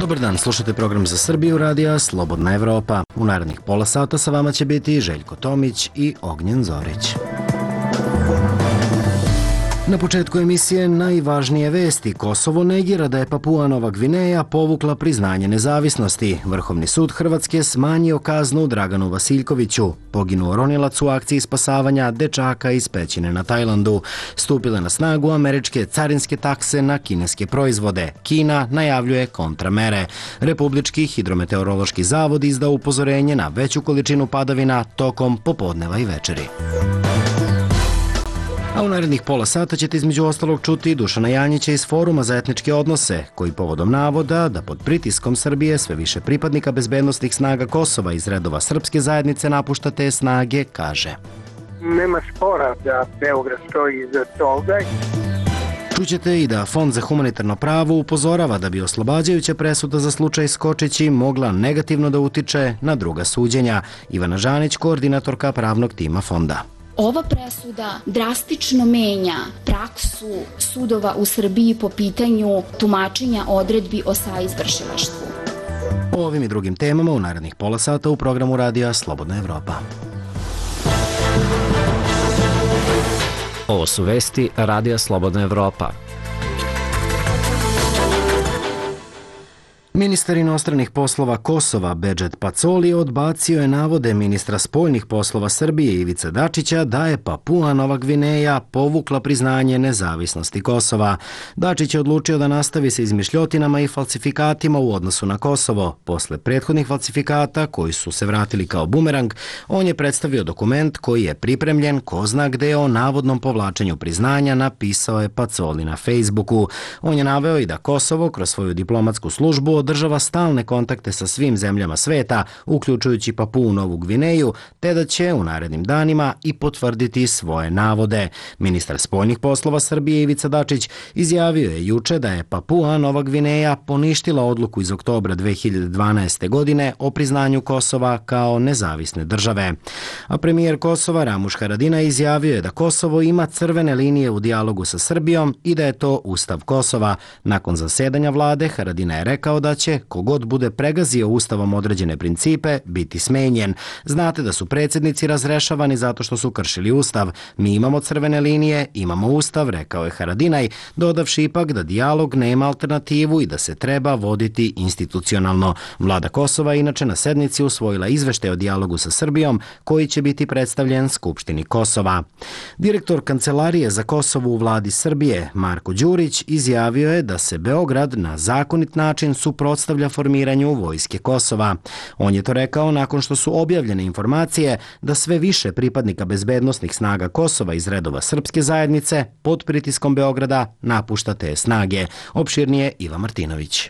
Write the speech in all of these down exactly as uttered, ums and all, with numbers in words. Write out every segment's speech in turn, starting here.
Dobar dan, slušate program za Srbiju radija Slobodna Evropa. U narednih pola sata sa vama će biti Željko Tomić i Ognjen Zorić. Na početku emisije najvažnije vesti. Kosovo negira da je Papua Nova Gvineja povukla priznanje nezavisnosti. Vrhovni sud Hrvatske smanjio kaznu Draganu Vasiljkoviću. Poginuo ronilac u akciji spasavanja dečaka iz pećine na Tajlandu. Stupile na snagu američke carinske takse na kineske proizvode. Kina najavljuje kontramere. Republički hidrometeorološki zavod izdao upozorenje na veću količinu padavina tokom popodneva i večeri. A u narednih pola sata ćete između ostalog čuti Dušana Janjića iz Foruma za etničke odnose, koji povodom navoda da pod pritiskom Srbije sve više pripadnika bezbednosnih snaga Kosova iz redova srpske zajednice napušta te snage, kaže. Nema spora da Beograd stoji iza toga. Čućete i da Fond za humanitarno pravo upozorava da bi oslobađajuća presuda za slučaj Skočići mogla negativno da utiče na druga suđenja. Ivana Žanić, koordinatorka pravnog tima Fonda. Ova presuda drastično menja praksu sudova u Srbiji po pitanju tumačenja odredbi o saizvršilaštvu. O ovim i drugim temama u narednih pola sata u programu radija Slobodna Evropa. Ovo su vesti radija Slobodna Evropa. Ministar inostranih poslova Kosova Bedžet Pacoli odbacio je navode ministra spoljnih poslova Srbije Ivice Dačića da je Papua Nova Gvineja povukla priznanje nezavisnosti Kosova. Dačić je odlučio da nastavi sa izmišljotinama i falsifikatima u odnosu na Kosovo. Posle prethodnih falsifikata koji su se vratili kao bumerang, on je predstavio dokument koji je pripremljen ko zna gde o navodnom povlačenju priznanja, napisao je Pacoli na Facebooku. On je naveo i da Kosovo kroz svoju diplomatsku službu održava stalne kontakte sa svim zemljama sveta, uključujući Papuu Novu Gvineju, te da će u narednim danima i potvrditi svoje navode. Ministar spoljnih poslova Srbije Ivica Dačić izjavio je juče da je Papua Nova Gvineja poništila odluku iz oktobra dve hiljade dvanaeste. godine o priznanju Kosova kao nezavisne države. A premijer Kosova Ramuš Haradinaj izjavio je da Kosovo ima crvene linije u dijalogu sa Srbijom i da je to Ustav Kosova. Nakon zasedanja vlade Haradinaj je rekao da će, kogod bude pregazio ustavom određene principe, biti smenjen. Znate da su predsjednici razrešavani zato što su kršili ustav. Mi imamo crvene linije, imamo ustav, rekao je Haradinaj, dodavši ipak da dijalog nema alternativu i da se treba voditi institucionalno. Vlada Kosova je inače na sednici usvojila izveštaj o dijalogu sa Srbijom, koji će biti predstavljen Skupštini Kosova. Direktor Kancelarije za Kosovo u vladi Srbije, Marko Đurić, izjavio je da se Beograd na zakonit način suprotstavlja formiranju vojske Kosova. On je to rekao nakon što su objavljene informacije da sve više pripadnika bezbednosnih snaga Kosova iz redova srpske zajednice pod pritiskom Beograda napušta te snage. Opširnije Iva Martinović.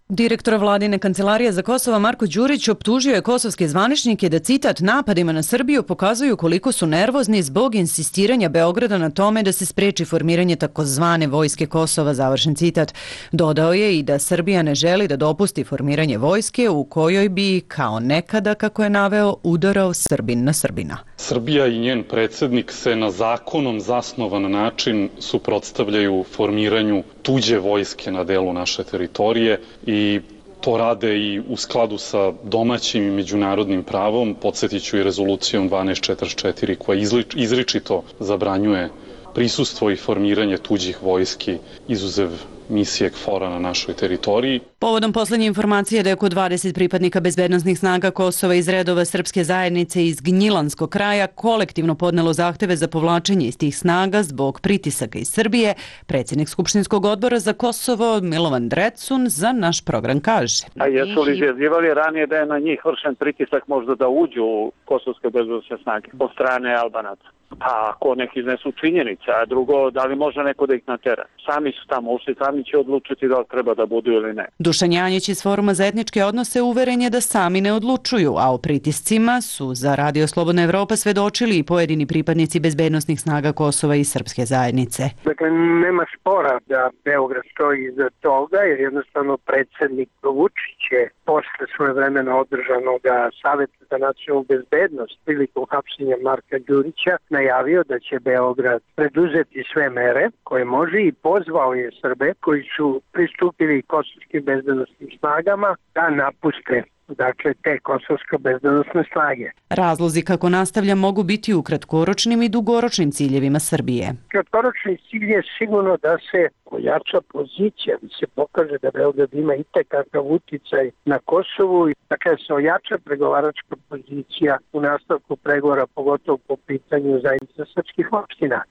Direktor vladine kancelarije za Kosovo Marko Đurić optužio je kosovske zvaničnike da, citat, napadima na Srbiju pokazuju koliko su nervozni zbog insistiranja Beograda na tome da se spreči formiranje takozvane vojske Kosova, završen citat. Dodao je i da Srbija ne želi da dopusti formiranje vojske u kojoj bi, kao nekada, kako je naveo, udarao Srbin na Srbina. Srbija i njen predsjednik se na zakonom zasnovan način suprotstavljaju formiranju tuđe vojske na delu naše teritorije i to rade i u skladu sa domaćim i međunarodnim pravom, podsjetiću i rezolucijom dvanaest četrdeset četiri koja izričito zabranjuje prisustvo i formiranje tuđih vojski izuzev misije KFOR-a na našoj teritoriji. Povodom poslednje informacije da je oko dvadeset pripadnika bezbednosnih snaga Kosova iz redova srpske zajednice iz Gnjilanskog kraja kolektivno podnelo zahteve za povlačenje iz tih snaga zbog pritisaka iz Srbije, predsjednik Skupštinskog odbora za Kosovo Milovan Drecun za naš program kaže. A jesu li izjavljivali ranije da je na njih vršen pritisak možda da uđu u kosovske bezbednosne snage od strane Albanaca? Pa ako neki iznesu činjenica, a drugo, da li može neko da ih natera? Sami su tamo ušli, sami će odlučiti da li treba da budu ili ne. Dušan Janjić iz Foruma za etničke odnose uveren je da sami ne odlučuju, a o pritiscima su za Radio Slobodna Evropa svedočili i pojedini pripadnici bezbednosnih snaga Kosova i srpske zajednice. Dakle, nema spora da Beograd stoji iza toga, jer jednostavno predsjednik Vučić je posle svoje vremena održanog Saveta za nacionalnu bezbednost prilikom hapšenja Marka Đurića najavio da će Beograd preduzeti sve mere koje može i pozvao je Srbe koji su pristupili kosovskim bezbednosnim snagama da napuste dakle te kosovsko bezbednosne snage. Razlozi kako nastavlja mogu biti u kratkoročnim i dugoročnim ciljevima Srbije. Kratkoročni cilj je sigurno da se ojača pozicija, da se pokaže da Beograd ima itekakav uticaj na Kosovu i dakle se ojača pregovaračka pozicija u nastavku pregovora, pogotovo po pitanju zajednice srpskih opština.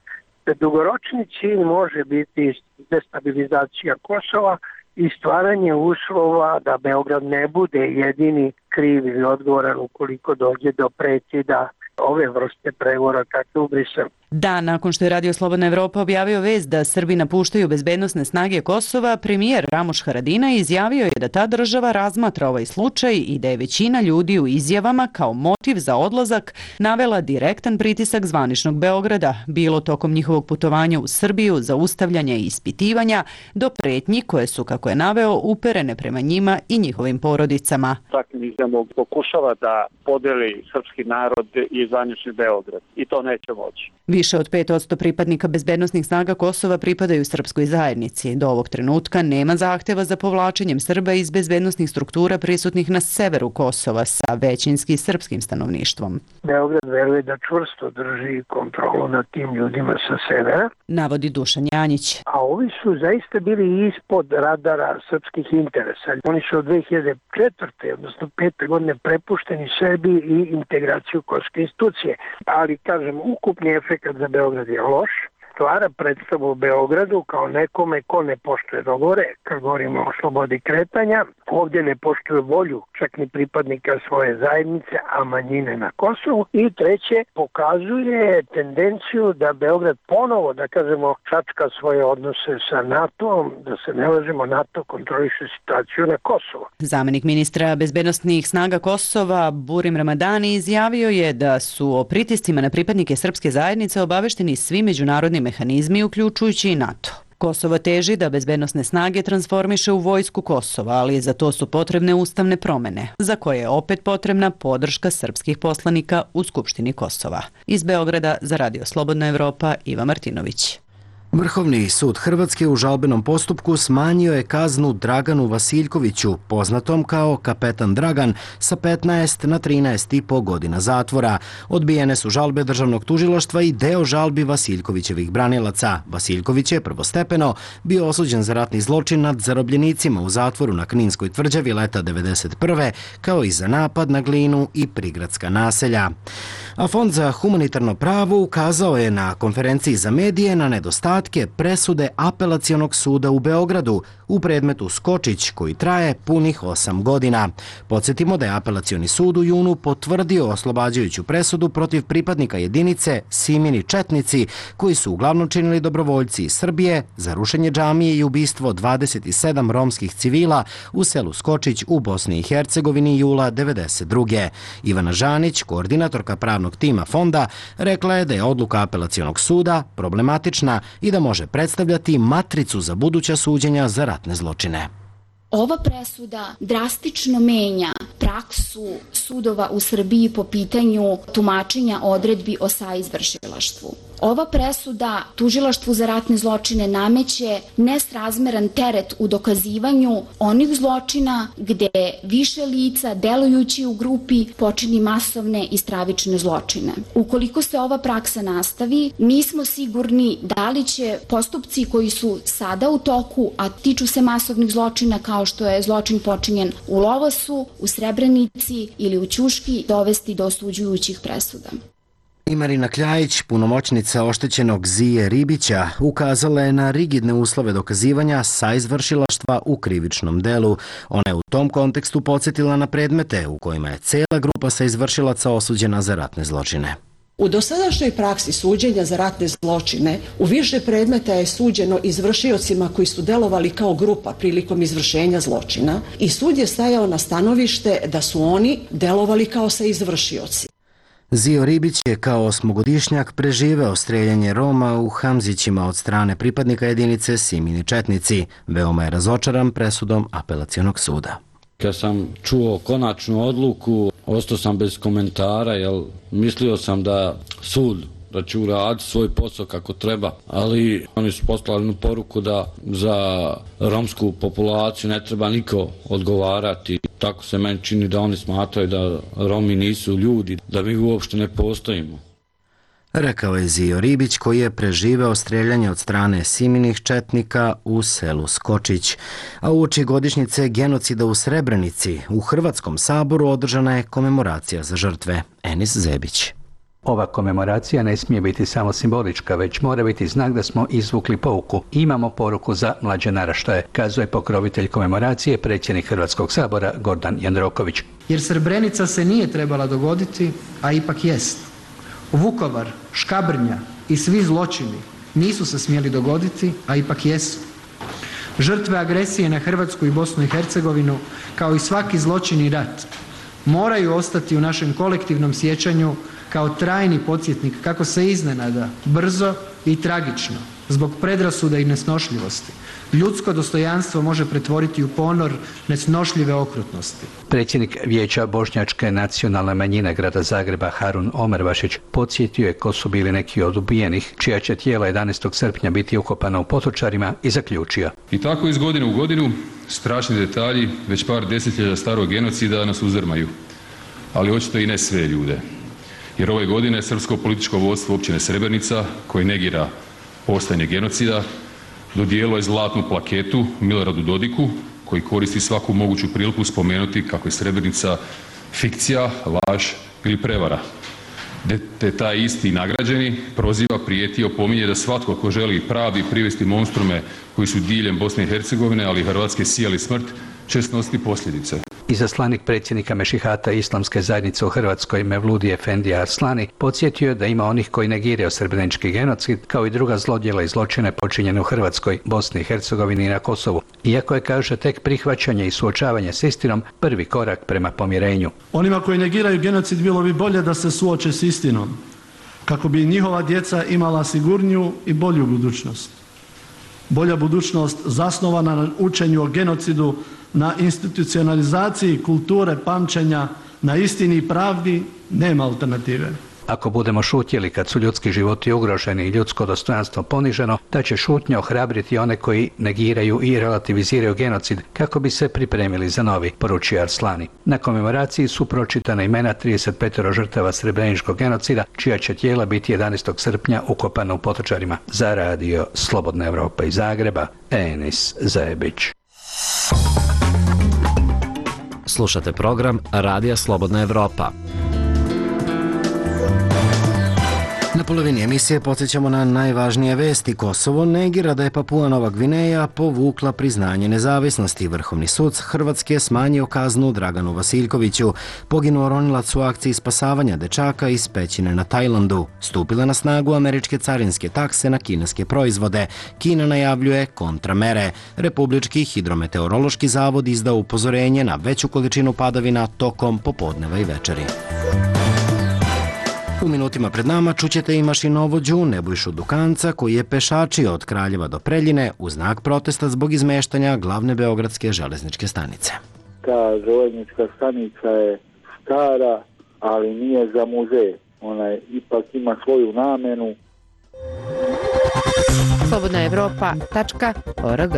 Dugoročni cilj može biti destabilizacija Kosova i stvaranje uslova da Beograd ne bude jedini kriv ili odgovoran ukoliko dođe do prekida ove vrste pregovora kakve u Briselu. Dan nakon što je Radio Slobodna Evropa objavio vest da Srbi napuštaju bezbednosne snage Kosova, premijer Ramuš Haradinaj izjavio je da ta država razmatra ovaj slučaj i da je većina ljudi u izjavama kao motiv za odlazak navela direktan pritisak zvaničnog Beograda, bilo tokom njihovog putovanja u Srbiju, zaustavljanja i ispitivanja, do pretnji koje su, kako je naveo, uperene prema njima i njihovim porodicama. Takvim izjavom pokušava da podeli srpski narod i zvanični Beograd i to neće moći. Više od pet posto pripadnika bezbednosnih snaga Kosova pripadaju srpskoj zajednici. Do ovog trenutka nema zahteva za povlačenjem Srba iz bezbednosnih struktura prisutnih na severu Kosova sa većinski srpskim stanovništvom. Beograd veruje da čvrsto drži kontrolu nad tim ljudima sa severa, navodi Dušan Janjić. A ovi su zaista bili ispod radara srpskih interesa. Oni su od dve hiljade četvrte odnosno pete godine prepušteni sebi i integraciju kosovske institucije. Ali, kažem, ukupni efekt za Beograd je loš, stvara predstavu u Beogradu kao nekome ko ne poštuje dogovore, kad govorimo o slobodi kretanja, ovdje ne poštuje volju čak ni pripadnika svoje zajednice, a manjine na Kosovu. I treće, pokazuje tendenciju da Beograd ponovo, da kažemo, čačka svoje odnose sa NATO-om, da se ne lažemo, NATO kontroliše situaciju na Kosovu. Zamenik ministra bezbednosnih snaga Kosova, Burim Ramadani, izjavio je da su o pritiscima na pripadnike srpske zajednice obavešteni svi međunarodni mehanizmi, uključujući i NATO. Kosovo teži da bezbednosne snage transformiše u vojsku Kosova, ali za to su potrebne ustavne promene, za koje je opet potrebna podrška srpskih poslanika u Skupštini Kosova. Iz Beograda za Radio Slobodna Evropa, Iva Martinović. Vrhovni sud Hrvatske u žalbenom postupku smanjio je kaznu Draganu Vasiljkoviću, poznatom kao Kapetan Dragan, sa petnaest na trinaest i po godina zatvora. Odbijene su žalbe državnog tužilaštva i deo žalbi Vasiljkovićevih branilaca. Vasiljković je prvostepeno bio osuđen za ratni zločin nad zarobljenicima u zatvoru na Kninskoj tvrđavi leta devedeset prve, kao i za napad na Glinu i prigradska naselja. A Fond za humanitarno pravo ukazao je na konferenciji za medije na nedostatke presude Apelacionog suda u Beogradu u predmetu Skočić, koji traje punih osam godina. Podsjetimo da je Apelacioni sud u junu potvrdio oslobađajuću presudu protiv pripadnika jedinice Simini Četnici, koji su uglavnom činili dobrovoljci iz Srbije za rušenje džamije i ubistvo dvadeset sedam romskih civila u selu Skočić u Bosni i Hercegovini jula devedeset druge. Ivana Žanić, koordinatorka pravnog tima fonda, rekla je da je odluka Apelacionog suda problematična i da može predstavljati matricu za buduća suđenja za ratne zločine. Ova presuda drastično menja praksu sudova u Srbiji po pitanju tumačenja odredbi o saizvršilaštvu. Ova presuda tužilaštvu za ratne zločine nameće nesrazmeran teret u dokazivanju onih zločina gde više lica delujući u grupi počini masovne i stravične zločine. Ukoliko se ova praksa nastavi, nismo sigurni da li će postupci koji su sada u toku, a tiču se masovnih zločina kao što je zločin počinjen u Lovasu, u Srebrenici ili u Ćuški, dovesti do osuđujućih presuda. I Marina Kljajić, punomoćnica oštećenog Zije Ribića, ukazala je na rigidne uslove dokazivanja saizvršilaštva u krivičnom delu. Ona je u tom kontekstu podsjetila na predmete u kojima je cela grupa saizvršilaca osuđena za ratne zločine. U dosadašnjoj praksi suđenja za ratne zločine u više predmeta je suđeno izvršiocima koji su delovali kao grupa prilikom izvršenja zločina i sud je stajao na stanovište da su oni delovali kao saizvršioci. Zio Ribić je kao osmogodišnjak preživeo streljanje Roma u Hamzićima od strane pripadnika jedinice Simini Četnici. Veoma je razočaran presudom Apelacionog suda. Kad sam čuo konačnu odluku, ostao sam bez komentara, jer mislio sam da sud da će uraditi svoj posao kako treba, ali oni su poslali jednu poruku da za romsku populaciju ne treba niko odgovarati. Tako se meni čini da oni smatraju da Romi nisu ljudi, da mi uopšte ne postojimo. Rekao je Zio Ribić, koji je preživeo streljanje od strane Siminih četnika u selu Skočić. A uoči godišnjice genocida u Srebrenici u Hrvatskom saboru održana je komemoracija za žrtve. Enis Zebić. Ova komemoracija ne smije biti samo simbolička, već mora biti znak da smo izvukli pouku. Imamo poruku za mlađe naraštaje, kazuje pokrovitelj komemoracije, predsjednik Hrvatskog sabora Gordan Jandroković. Jer Srebrenica se nije trebala dogoditi, a ipak jest. Vukovar, Škabrnja i svi zločini nisu se smjeli dogoditi, a ipak jesu. Žrtve agresije na Hrvatsku i Bosnu i Hercegovinu, kao i svaki zločin i rat, moraju ostati u našem kolektivnom sjećanju kao trajni podsjetnik kako se iznenada, brzo i tragično, zbog predrasuda i nesnošljivosti, ljudsko dostojanstvo može pretvoriti u ponor nesnošljive okrutnosti. Predsjednik Vijeća bošnjačke nacionalne manjine grada Zagreba Harun Omervašić podsjetio je ko su bili neki od ubijenih, čija će tijela jedanaestog srpnja biti ukopana u Potočarima, i zaključio. I tako iz godine u godinu strašni detalji već par desetljeća starog genocida nas uzdrmaju, ali očito i ne sve ljude. Jer ove godine srpsko političko vodstvo općine Srebrenica, koji negira postojanje genocida, dodijelilo je zlatnu plaketu Miloradu Dodiku, koji koristi svaku moguću priliku spomenuti kako je Srebrenica fikcija, laž ili prevara. Te taj isti nagrađeni proziva, prijeti i opominje da svatko ko želi pravi privesti monstrume koji su diljem Bosne i Hercegovine, ali i Hrvatske, sijali smrt, će snositi posljedice. Izaslanik predsjednika Mešihata Islamske zajednice u Hrvatskoj Mevludi Efendija Arslani podsjetio da ima onih koji negiraju srebrenički genocid kao i druga zlodjela i zločine počinjene u Hrvatskoj, Bosni i Hercegovini i na Kosovu. Iako je, kaže, tek prihvaćanje i suočavanje s istinom prvi korak prema pomirenju. Onima koji negiraju genocid bilo bi bolje da se suoče s istinom, kako bi njihova djeca imala sigurniju i bolju budućnost. Bolja budućnost zasnovana na učenju o genocidu, na institucionalizaciji kulture pamćenja, na istini i pravdi, nema alternative. Ako budemo šutjeli kad su ljudski životi ugroženi i ljudsko dostojanstvo poniženo, da će šutnja ohrabriti one koji negiraju i relativiziraju genocid kako bi se pripremili za novi, poručio Arslani. Na komemoraciji su pročitana imena trideset pet žrtava srebreničkog genocida, čija će tijela biti jedanaestog srpnja ukopana u Potočarima. Za radio Slobodna Evropa iz Zagreba, Enis Zebić. Slušate program Radija Slobodna Evropa. Na polovini emisije podsjećamo na najvažnije vesti. Kosovo negira da je Papua Nova Gvineja povukla priznanje nezavisnosti. Vrhovni sud Hrvatske smanjio kaznu Draganu Vasiljkoviću. Poginuo ronilac u akciji spasavanja dečaka iz pećine na Tajlandu. Stupile na snagu američke carinske takse na kineske proizvode. Kina najavljuje kontramere. Republički hidrometeorološki zavod izdao upozorenje na veću količinu padavina tokom popodneva i večeri. U minutima pred nama čućete i mašinovođu Nebojšu Dukanca, koji je pešačio od Kraljeva do Preljine u znak protesta zbog izmeštanja glavne beogradske železničke stanice. Ta železnička stanica je stara, ali nije za muzej. Ona je, ipak ima svoju namenu. slobodna evropa tačka org.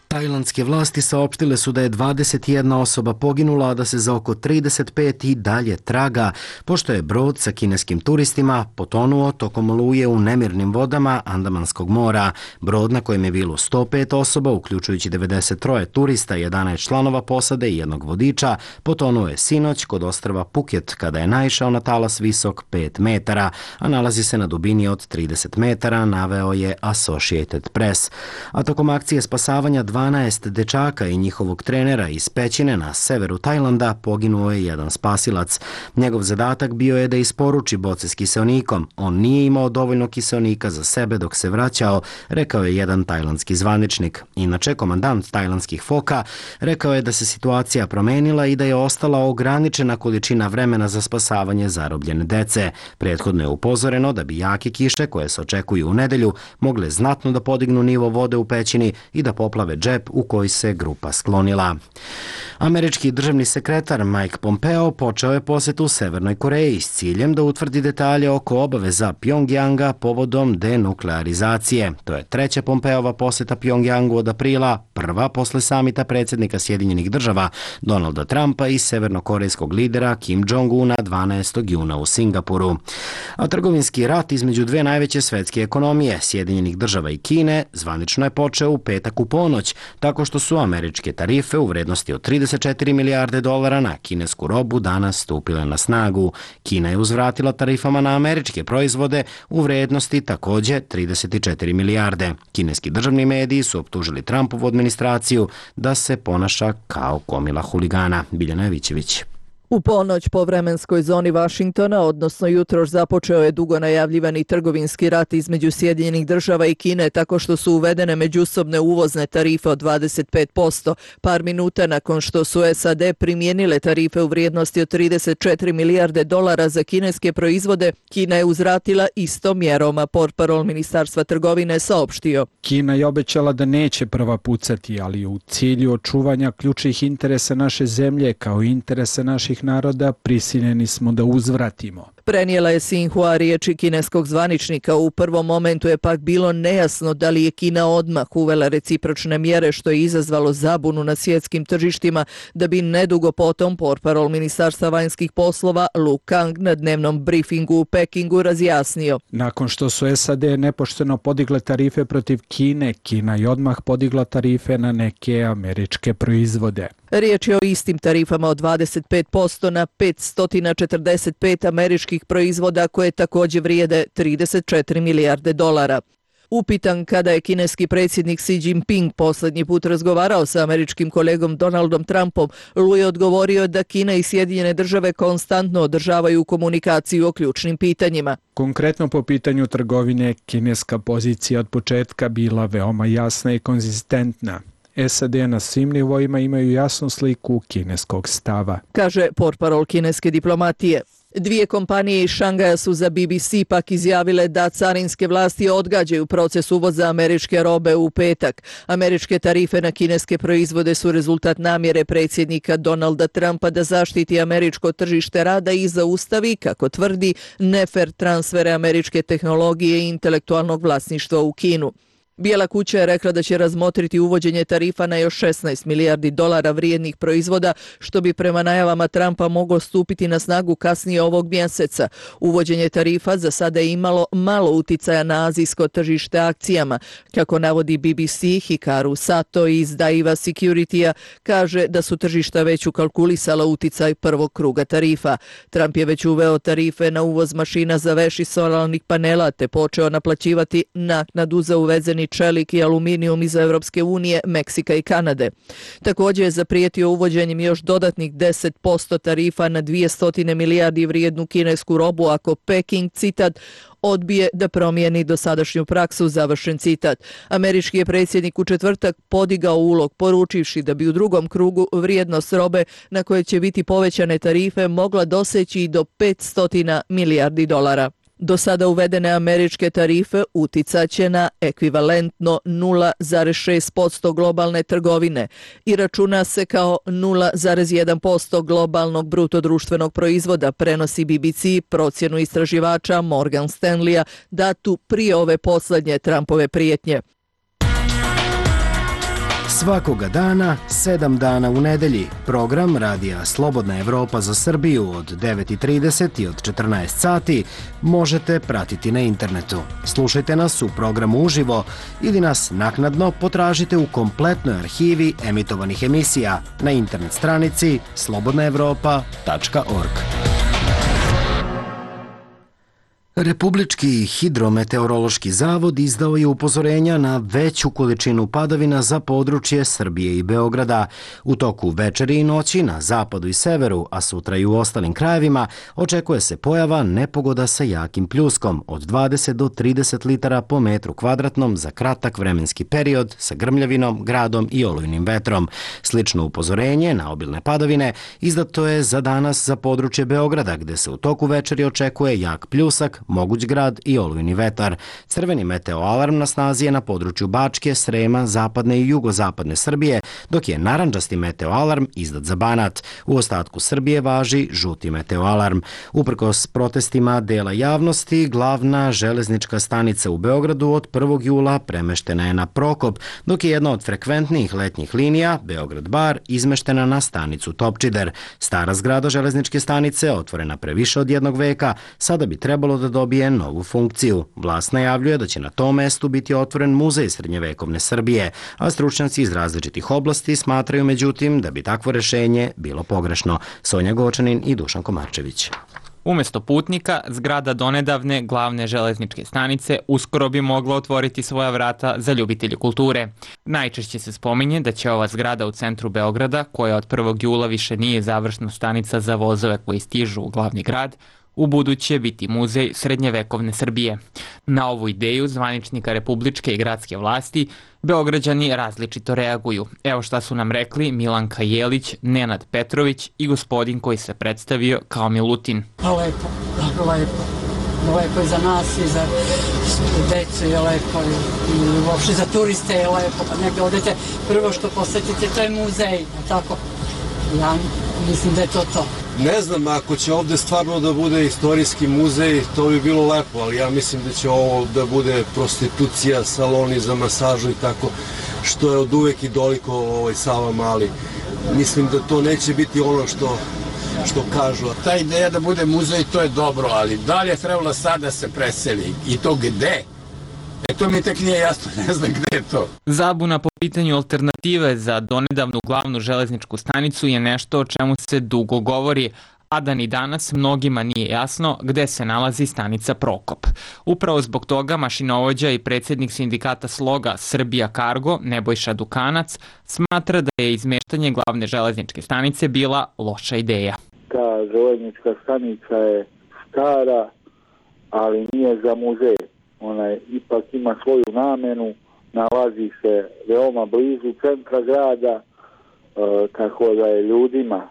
Tajlandske vlasti saopštile su da je dvadeset jedna osoba poginula, a da se za oko trideset pet i dalje traga, pošto je brod sa kineskim turistima potonuo tokom oluje u nemirnim vodama Andamanskog mora. Brod na kojem je bilo sto pet osoba, uključujući devedeset tri turista, jedanaest članova posade i jednog vodiča, potonuo je sinoć kod ostrva Phuket kada je naišao na talas visok pet metara, a nalazi se na dubini od trideset metara, naveo je Associated Press. A tokom akcije spasavanja dvanaest dečaka i njihovog trenera iz pećine na severu Tajlanda poginuo je jedan spasilac. Njegov zadatak bio je da isporuči boce s kiseonikom. On nije imao dovoljno kiseonika za sebe dok se vraćao, rekao je jedan tajlandski zvaničnik. Inače, komandant tajlandskih foka rekao je da se situacija promenila i da je ostala ograničena količina vremena za spasavanje zarobljene dece. Prethodno je upozoreno da bi jake kiše koje se očekuju u nedelju mogle znatno da podignu nivo vode u pećini i da poplave džep u koji se grupa sklonila. Američki državni sekretar Mike Pompeo počeo je posetu Severnoj Koreji s ciljem da utvrdi detalje oko obaveza Pjongjanga povodom denuklearizacije. To je treća Pompeova poseta Pjongjangu od aprila, prva posle samita predsjednika Sjedinjenih država Donalda Trumpa i severnokorejskog lidera Kim Jong-una dvanaestog juna u Singapuru. A trgovinski rat između dve najveće svetske ekonomije, Sjedinjenih država i Kine, zvanično je počeo u petak u ponoć, tako što su američke tarife u vrednosti od trideset četiri milijarde dolara na kinesku robu danas stupile na snagu. Kina je uzvratila tarifama na američke proizvode u vrednosti takođe trideset četiri milijarde. Kineski državni mediji su optužili Trumpovu administraciju da se ponaša kao komila huligana. Biljana Jovićević. U ponoć po vremenskoj zoni Vašingtona, odnosno jutros, započeo je dugo najavljivani trgovinski rat između Sjedinjenih država i Kine tako što su uvedene međusobne uvozne tarife od dvadeset pet posto. Par minuta nakon što su S A D primijenile tarife u vrijednosti od trideset četiri milijarde dolara za kineske proizvode, Kina je uzvratila istom mjerom, a portparol Ministarstva trgovine saopštio. Kina je obećala da neće prva pucati, ali u cilju očuvanja ključnih interesa naše zemlje kao interesa naših naroda prisiljeni smo da uzvratimo. Prenijela je Sinhua riječi kineskog zvaničnika. U prvom momentu je pak bilo nejasno da li je Kina odmah uvela recipročne mjere, što je izazvalo zabunu na svjetskim tržištima, da bi nedugo potom portparol Ministarstva vanjskih poslova Lu Kang na dnevnom briefingu u Pekingu razjasnio. Nakon što su S A D nepošteno podigle tarife protiv Kine, Kina je odmah podigla tarife na neke američke proizvode. Riječ je o istim tarifama od dvadeset pet posto na petsto četrdeset pet američkih proizvoda koje također vrijede trideset četiri milijarde dolara. Upitan kada je kineski predsjednik Xi Jinping posljednji put razgovarao sa američkim kolegom Donaldom Trumpom, Lu je odgovorio da Kina i Sjedinjene države konstantno održavaju komunikaciju o ključnim pitanjima. Konkretno po pitanju trgovine, kineska pozicija od početka bila veoma jasna i konzistentna. S A D na svim nivoima imaju jasnu sliku kineskog stava, kaže portparol kineske diplomatije. Dvije kompanije iz Šangaja su za B B C pak izjavile da carinske vlasti odgađaju proces uvoza američke robe u petak. Američke tarife na kineske proizvode su rezultat namjere predsjednika Donalda Trumpa da zaštiti američko tržište rada i zaustavi, kako tvrdi, nefer transfere američke tehnologije i intelektualnog vlasništva u Kinu. Bijela kuća je rekla da će razmotriti uvođenje tarifa na još šesnaest milijardi dolara vrijednih proizvoda, što bi prema najavama Trumpa moglo stupiti na snagu kasnije ovog mjeseca. Uvođenje tarifa za sada je imalo malo uticaja na azijsko tržište akcijama. Kako navodi B B C, Hikaru Sato iz Daiwa Security-a kaže da su tržišta već ukalkulisala uticaj prvog kruga tarifa. Trump je već uveo tarife na uvoz mašina za veš i solarnih panela te počeo naplaćivati naknadu za uvezeni čelik i aluminijum iz Evropske unije, Meksika i Kanade. Također je zaprijetio uvođenjem još dodatnih deset posto tarifa na dvjesto milijardi vrijednu kinesku robu ako Peking, citat, odbije da promijeni dosadašnju praksu, završen citat. Američki je predsjednik u četvrtak podigao ulog, poručivši da bi u drugom krugu vrijednost robe na koje će biti povećane tarife mogla doseći i do petsto milijardi dolara. Do sada uvedene američke tarife uticaće na ekvivalentno nula zarez šest posto globalne trgovine i računa se kao nula zarez jedan posto globalnog brutodruštvenog proizvoda, prenosi B B C procjenu istraživača Morgan Stanleya datu prije ove posljednje Trumpove prijetnje. Svakoga dana, sedam dana u nedelji, program Radija Slobodna Evropa za Srbiju od devet i trideset i od četrnaest sati možete pratiti na internetu. Slušajte nas u programu uživo ili nas naknadno potražite u kompletnoj arhivi emitovanih emisija na internet stranici slobodna evropa tačka org. Republički hidrometeorološki zavod izdao je upozorenja na veću količinu padavina za područje Srbije i Beograda. U toku večeri i noći na zapadu i severu, a sutra i u ostalim krajevima, očekuje se pojava nepogoda sa jakim pljuskom od dvadeset do trideset litara po metru kvadratnom za kratak vremenski period sa grmljavinom, gradom i olujnim vetrom. Slično upozorenje na obilne padavine izdato je za danas za područje Beograda, gde se u toku večeri očekuje jak pljusak, moguć grad i olujni vetar. Crveni meteoalarm na snazi je na području Bačke, Srema, zapadne i jugozapadne Srbije, dok je narandžasti meteoalarm izdat za Banat. U ostatku Srbije važi žuti meteoalarm. Uprkos protestima dela javnosti, glavna železnička stanica u Beogradu od prvog jula premeštena je na Prokop, dok je jedna od frekventnijih letnjih linija, Beograd-Bar, izmeštena na stanicu Topčider. Stara zgrada železničke stanice, otvorena pre više od jednog veka, sada bi trebalo da dobije novu funkciju. Vlast najavljuje da će na tom mestu biti otvoren muzej srednjevekovne Srbije, a stručnjaci iz različitih oblasti smatraju međutim da bi takvo rešenje bilo pogrešno. Sonja Gočanin i Dušan Komarčević. Umesto putnika, zgrada donedavne glavne železničke stanice uskoro bi mogla otvoriti svoja vrata za ljubitelje kulture. Najčešće se spominje da će ova zgrada u centru Beograda, koja od prvog jula više nije završna stanica za vozove koji stižu u glavni grad, u buduće biti muzej srednjevekovne Srbije. Na ovu ideju zvaničnika republičke i gradske vlasti Beograđani različito reaguju. Evo šta su nam rekli Milanka Jelić, Nenad Petrović i gospodin koji se predstavio kao Milutin. Lepo, lepo. Lepo je za nas i za decu je lepo i uopšte za turiste je lepo. Kad negdje odete, prvo što posetite to je muzej, tako? Ja mislim da je to to. Ne znam, ako će ovde stvarno da bude istorijski muzej, to bi bilo lepo, ali ja mislim da će ovo da bude prostitucija, saloni za masažu i tako, što je od uvek i doliko ovaj Sava Mali. Mislim da to neće biti ono što, što kažu. Ta ideja da bude muzej, to je dobro, ali da li je trebalo sad da se preseli i to gde? E to mi tek nije jasno, ne znam gde je to. Zabuna po pitanju alternative za donedavnu glavnu železničku stanicu je nešto o čemu se dugo govori, a da ni danas mnogima nije jasno gde se nalazi stanica Prokop. Upravo zbog toga mašinovođa i predsjednik sindikata Sloga Srbija Kargo, Nebojša Dukanac, smatra da je izmeštanje glavne železničke stanice bila loša ideja. Ta železnička stanica je stara, ali nije za muzej. Ona ipak ima svoju namenu, nalazi se veoma blizu centra grada, e, tako da je ljudima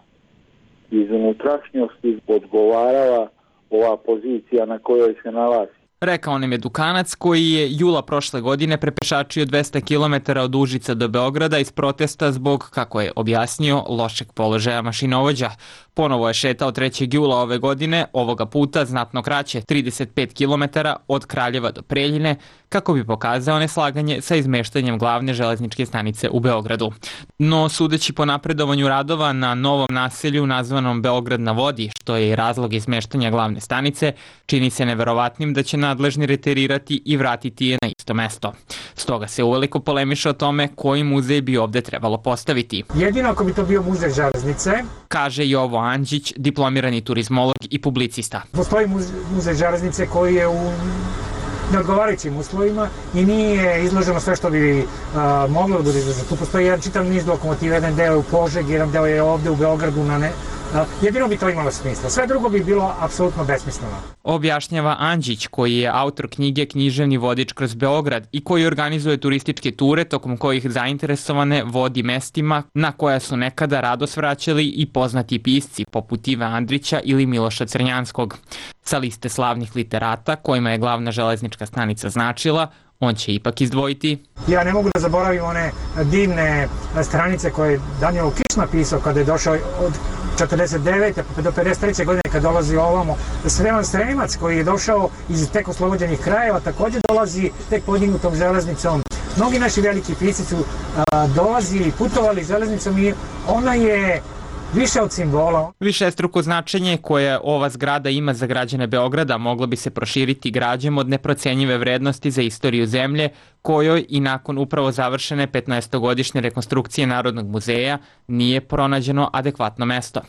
iz unutrašnjosti odgovarala ova pozicija na kojoj se nalazi. Rekao nam je Dukanac koji je jula prošle godine prepešačio dvesta kilometara od Užica do Beograda iz protesta zbog, kako je objasnio, lošeg položaja mašinovođa. Ponovo je šetao trećeg jula ove godine, ovoga puta znatno kraće, trideset pet kilometara od Kraljeva do Preljine, kako bi pokazao neslaganje sa izmeštanjem glavne železničke stanice u Beogradu. No, sudeći po napredovanju radova na novom naselju nazvanom Beograd na vodi, što je i razlog izmeštanja glavne stanice, čini se neverovatnim da će nadležni reterirati i vratiti je na isto mesto. Stoga se uveliko polemiše o tome koji muzej bi ovde trebalo postaviti. Jedino ako bi to bio muzej železnice, kaže Jovo Andžić, diplomirani turizmolog i publicista. Postoji muzej železnice koji je u neodgovarajućim uslovima i nije izloženo sve što bi uh, moglo da bude izloženo. Tu postoji jedan čitav niz lokomotiva, jedan deo je u Požegi, jedan deo je ovde u Beogradu na ne... Jedino bi to imalo smisla. Sve drugo bi bilo apsolutno besmisleno. Objašnjava Andžić, koji je autor knjige Književni vodič kroz Beograd i koji organizuje turističke ture tokom kojih zainteresovane vodi mestima na koja su nekada rado svraćali i poznati pisci poput Ive Andrića ili Miloša Crnjanskog. Sa liste slavnih literata kojima je glavna železnička stanica značila, on će ipak izdvojiti. Ja ne mogu da zaboravim one divne stranice koje je Danilo Kiš napisao kada je došao od četrdeset devete pa do pedeset treće godine kad dolazi ovamo. Sreman Sremac koji je došao iz tek oslobođenih krajeva također dolazi tek podignutom železnicom. Mnogi naši veliki pisci su a, dolazili, putovali železnicom i ona je više od simbola. Višestruko značenje koje ova zgrada ima za građane Beograda moglo bi se proširiti građom od neprocenjive vrednosti za istoriju zemlje, kojoj i nakon upravo završene petnaestogodišnje rekonstrukcije Narodnog muzeja nije pronađeno adekvatno mesto.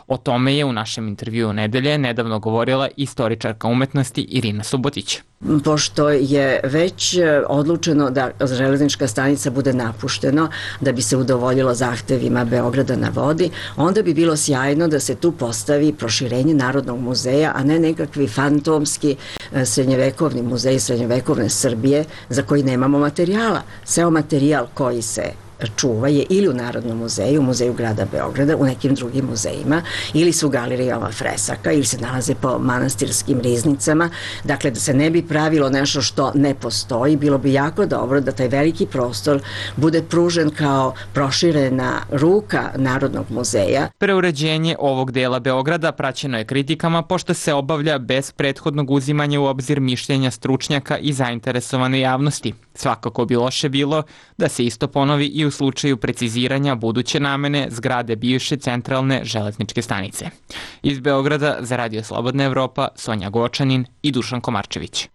O tome je u našem intervjuu nedelje nedavno govorila istoričarka umetnosti Irina Subotić. Pošto je već odlučeno da železnička stanica bude napuštena da bi se udovoljilo zahtevima Beograda na vodi, onda bi bilo sjajno da se tu postavi proširenje Narodnog muzeja, a ne nekakvi fantomski srednjevekovni muzej srednjevekovne Srbije za koji nemamo materijala. Seo materijal koji se čuva je ili u Narodnom muzeju, u Muzeju grada Beograda, u nekim drugim muzejima, ili su u galerijama fresaka, ili se nalaze po manastirskim riznicama. Dakle, da se ne bi pravilo nešto što ne postoji, bilo bi jako dobro da taj veliki prostor bude pružen kao proširena ruka Narodnog muzeja. Preuređenje ovog dela Beograda praćeno je kritikama pošto se obavlja bez prethodnog uzimanja u obzir mišljenja stručnjaka i zainteresovane javnosti. Svakako bi loše bilo da se isto ponovi i u slučaju preciziranja buduće namene zgrade bivše centralne železničke stanice. Iz Beograda za Radio Slobodna Evropa, Sonja Gočanin i Dušan Komarčević.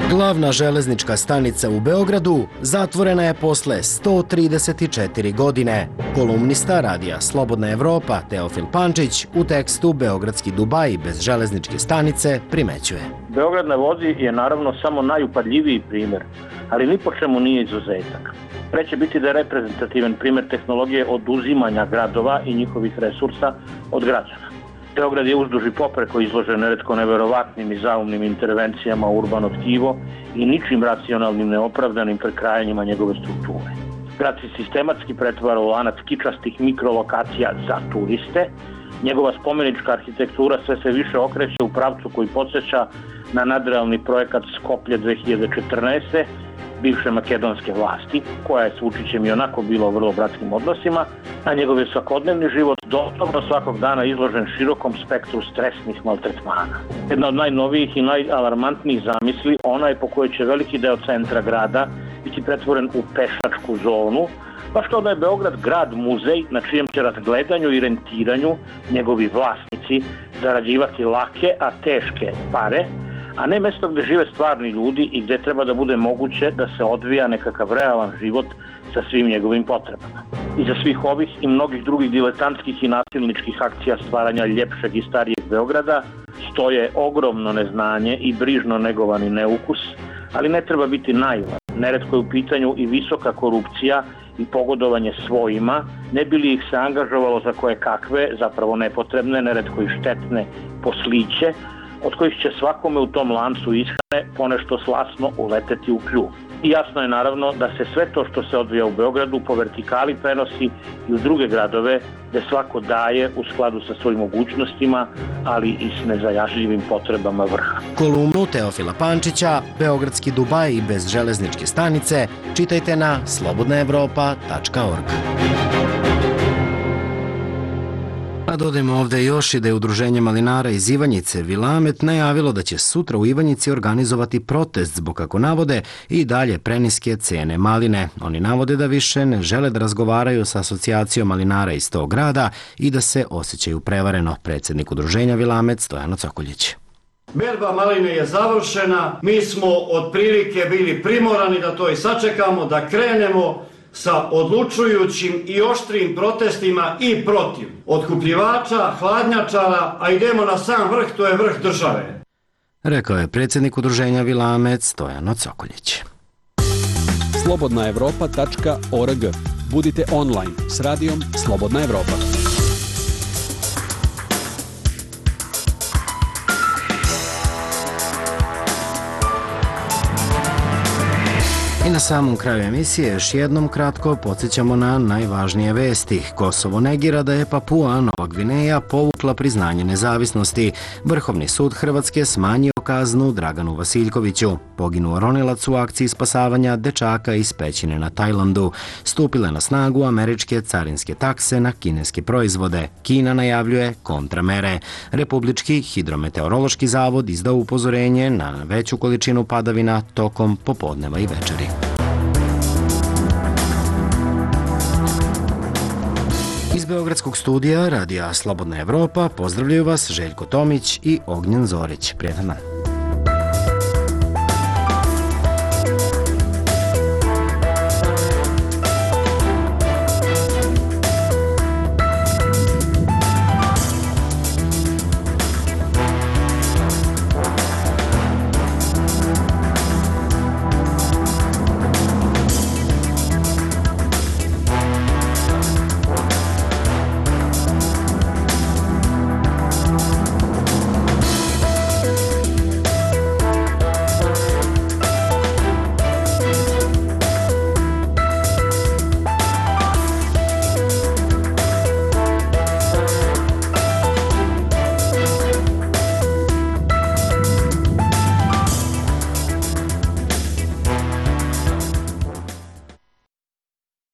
Glavna železnička stanica u Beogradu zatvorena je posle sto trideset četiri godine. Kolumnista Radija Slobodna Evropa Teofil Pančić u tekstu Beogradski Dubai bez železničke stanice primećuje. Beograd na vodi je naravno samo najupadljiviji primer, ali ni po čemu nije izuzetak. Pre će biti da je reprezentativan primer tehnologije oduzimanja gradova i njihovih resursa od građana. Beograd je uzduž i popreko izložen neretko neverovatnim i zaumnim intervencijama u urbano tkivo i ničim racionalnim neopravdanim prekrajanjima njegove strukture. Grad se sistematski pretvara u lanac kičastih mikrolokacija za turiste. Njegova spomenička arhitektura sve se više okreće u pravcu koji podsjeća na nadrealni projekat Skoplje dve hiljade četrnaeste. bivše makedonske vlasti, koja je s Vučićem i onako bila u vrlo bratskim odnosima, a njegov je svakodnevni život doslovno svakog dana izložen širokom spektru stresnih maltretmana. Jedna od najnovijih i najalarmantnijih zamisli, ona je po kojoj će veliki deo centra grada biti pretvoren u pešačku zonu, baš kao da je Beograd grad muzej na čijem će razgledanju i rentiranju njegovi vlasnici zarađivati lake, a teške pare, a ne mesto gde žive stvarni ljudi i gde treba da bude moguće da se odvija nekakav realan život sa svim njegovim potrebama. Iza svih ovih i mnogih drugih diletantskih i nasilničkih akcija stvaranja ljepšeg i starijeg Beograda stoje ogromno neznanje i brižno negovani neukus, ali ne treba biti naivan. Neretko je u pitanju i visoka korupcija i pogodovanje svojima, ne bi li ih se angažovalo za koje kakve, zapravo nepotrebne, neretko i štetne posliće, od kojih će svakome u tom lancu ishrane ponešto slasno uleteti u kljuv. I jasno je naravno da se sve to što se odvija u Beogradu po vertikali prenosi i u druge gradove gde svako daje u skladu sa svojim mogućnostima, ali i s nezajažljivim potrebama vrha. Kolumnu Teofila Pančića, Beogradski Dubai bez železničke stanice, čitajte na slobodna evropa tačka org. A dodajemo ovde još i da je Udruženje malinara iz Ivanjice Vilamet najavilo da će sutra u Ivanjici organizovati protest zbog, kako navode, i dalje preniske cene maline. Oni navode da više ne žele da razgovaraju sa asocijacijom malinara iz tog grada i da se osjećaju prevareno. Predsjednik Udruženja Vilamet Stojano Cokoljić. Berba maline je završena, mi smo otprilike bili primorani da to i sačekamo, da krenemo sa odlučujućim i oštrim protestima i protiv otkupljivača, hladnjačara, a idemo na sam vrh, to je vrh države. Rekao je predsjednik Udruženja Vilamet Stojano Cokoljić. slobodna evropa tačka org. Budite online s radijom Slobodna Evropa. I na samom kraju emisije još jednom kratko podsjećamo na najvažnije vesti. Kosovo negira da je Papua Nova Gvineja povukla priznanje nezavisnosti. Vrhovni sud Hrvatske smanjio kaznu Draganu Vasiljkoviću. Poginuo ronilac u akciji spasavanja dečaka iz pećine na Tajlandu. Stupile na snagu američke carinske takse na kineske proizvode. Kina najavljuje kontramere. Republički hidrometeorološki zavod izdao upozorenje na veću količinu padavina tokom popodneva i večeri. Iz Beogradskog studija Radija Slobodna Evropa pozdravljaju vas Željko Tomić i Ognjen Zorić. Prijetan dan.